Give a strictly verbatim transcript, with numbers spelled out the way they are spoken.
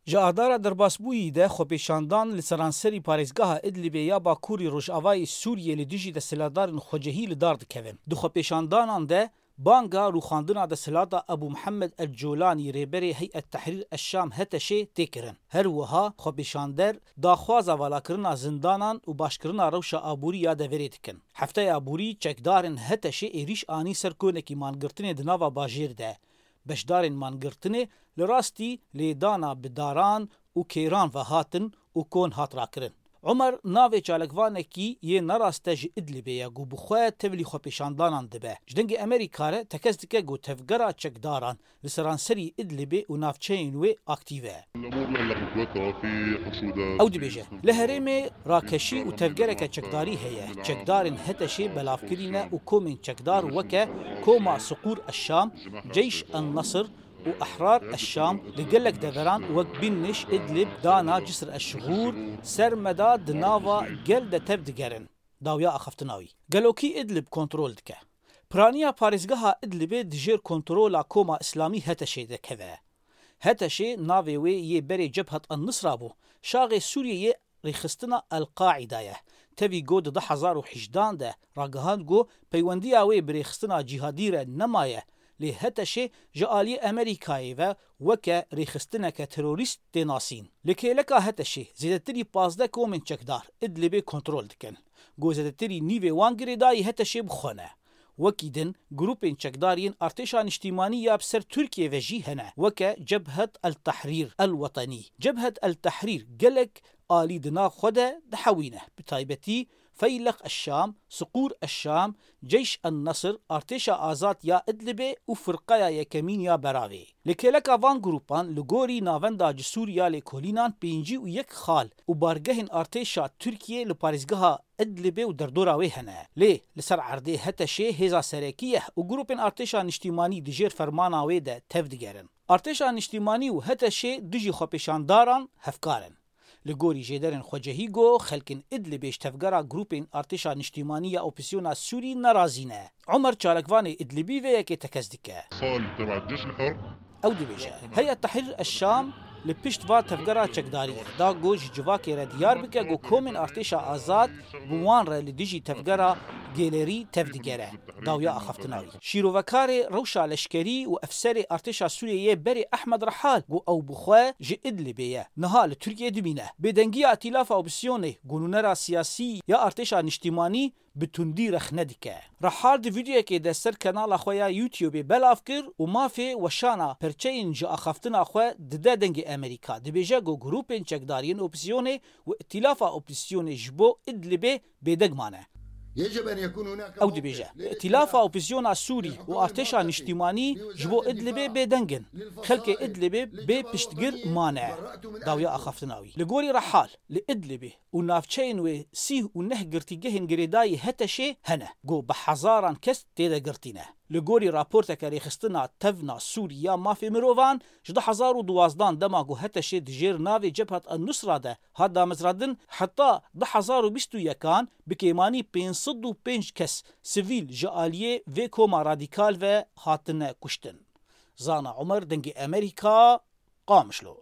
Ji adara derbasbûyî de xwepêşandan li seranserî parêzgeha Idlibê ya Bakurî Rojavayê Sûriyê li dijî desthilatdarên xwecehî li dar dikevin. Di xwepêşandanan de banga rûxandina desthilata Ebû Mihemed El Colanî, rêberê Heyet Tehrîr El Şam, HTŞ'ê, tê kirin. Her wiha xwepêşander daxwaza valakirina zindanan û başkirina rewşa aborî ya deverê dikin. Hefteya borî çekdarên HTŞ'ê êrîş anî ser konekî mangirtinê di nava bajêr de. Beşdarên mangirtinê li rastî lêdana bi daran û kêran ve hatin û kon hat rakirin. Omer navê çalakvanekî yê neraste ji Idlibê ye ku bi xwe tevlî xwepêşandanan dibe. Ji Dengê Amerîka re tekez dike ku tevgera çekdaran li seranserî Idlibê û navçeyên wê aktîv e. Ew dibêje, li herêmê rakeşî û tevgereke çekdarî heye. Çekdarên HTŞ'ê belavkirî ne û komên çekdar weke Koma Siqûr Eşşam, Ceyş en Nesir û Ehrar Eşşam li gelek deveran wek Bînniş, Idlib, Dana, Cisr Eşxûr, Sermeda di nava gel de tev digerin. Dawiya axaftina wî. Gelokî Idlib kontrol dike. Piraniya parêzgeha Idlibê di jêr kontrola Koma Îslamî HTŞ'ê de keve. HTŞ'ê navê wê yê berê Cebhat an-Nusra bû. Şaxê Sûriyê yê rêxistina El-Qaîda ye. Tevî got di du hezar û hejdehan de ragihand ku peywendiya wê bi rêxistina cîhadî re nemaye, lê HTŞ'ê ji aliyê Amerîkayê ve weke rêxistineke terorîst tê nasîn. Li kêleka HTŞ'ê zêdetirî pazdeh komên çekdar Idlibê kontrol dikin. Ku zêdetirî nîvê wan girêdayî HTŞ'ê bi xwe ne. Wekî din, grûpên çekdar yên artêşa niştîmanî ya bi ser Tirkiyê ve jî hene, weke Cebhet El Tehrîr El Wetenî. Cebhet El Tehrîr gelek alî di nav xwe de dihewîne, bi taybetî Feyleq Eşşam, Siqûr Eşşam, Ceyş en Nesir, Artêşa Azad ya Idlibê û Firqeya Yekemîn ya Beravê. Li kêleka van grûpan, li gorî navenda Cisûr ya Lêkolînan, pêncî û yek xal û bargehên artêşa Tirkiyê li parêzgeha Idlibê û derdora wê hene. Lê li ser erdê HTŞ'ê hêza serekî ye û grûpên artêşa niştîmanî di jêr fermana wê de tev digerin. Artêşa niştîmanî û HTŞ'ê dijî xwepêşandaran hevkar in. Li gorî jêderên xwecehî got, xelkên Idlibê ji tevgera grûpên artêşa niştîmanî ya opozîsyona Sûrî nerazî ne. Omer, çalakvanê Idlibî, vê yekê tekez dike. Ew dibêje, Heyet Tehrîr Eşşam li pişt va tevgera çekdarî ye. Da ku ji civakê re diyar bike ku komên artêşa azad bi wan re li dijî tevgera Gêlerî tev digere. Dawiya axaftina wî. Şîrovekarê rewşa leşkerî û efserê artêşa Sûriyeyê berê Ehmed Rehal ku ew bi xwe ji Idlibê ye, niha li Tirkiyê dimîne. Bêdengiya Îtîlafa Opozîsyonê ku nûnera siyasî ya artêşa niştîmanî bi tundî rexne dike. Rehal di vîdeoyekê de ser kanala xwe ya YouTubeê belav kir û mafê weşana perçeyên ji axaftina xwe dide Dengê Amerîka. Dibêje ku grûpên çekdar yên opozîsyonê û Îtîlafa Opozîsyonê ji bo Idlibê bêdeng mane. Ew dibêje, Îtîlafa Opozîsyona Sûrî û artêşa niştîmanî ji bo Idlibê bêdeng in. Xelkê Idlibê bê piştgir mane. Dawiya axaftina wî. Li gorî Rehal, li Idlibê û navçeyên wê sîh û neh girtîgehên girêdayî HTŞ'ê hene, ku bi hezaran kes tê de girtî ne. Li gorî raporteke Rêxistina Tevna Sûrî ya Mafê Mirovan, ji du hezar û duwazdehan dema ku HTŞ'ê di jêr navê Cebhat en-Nusra de hat damezrandin, heta du hezar û bîst û yekan bi kêmanî pênc sed û pênc kes sivîl ji aliyê vê koma radîkal ve hatine kuştin. Zana Omer, Dengê Amerîka, Qamişlo.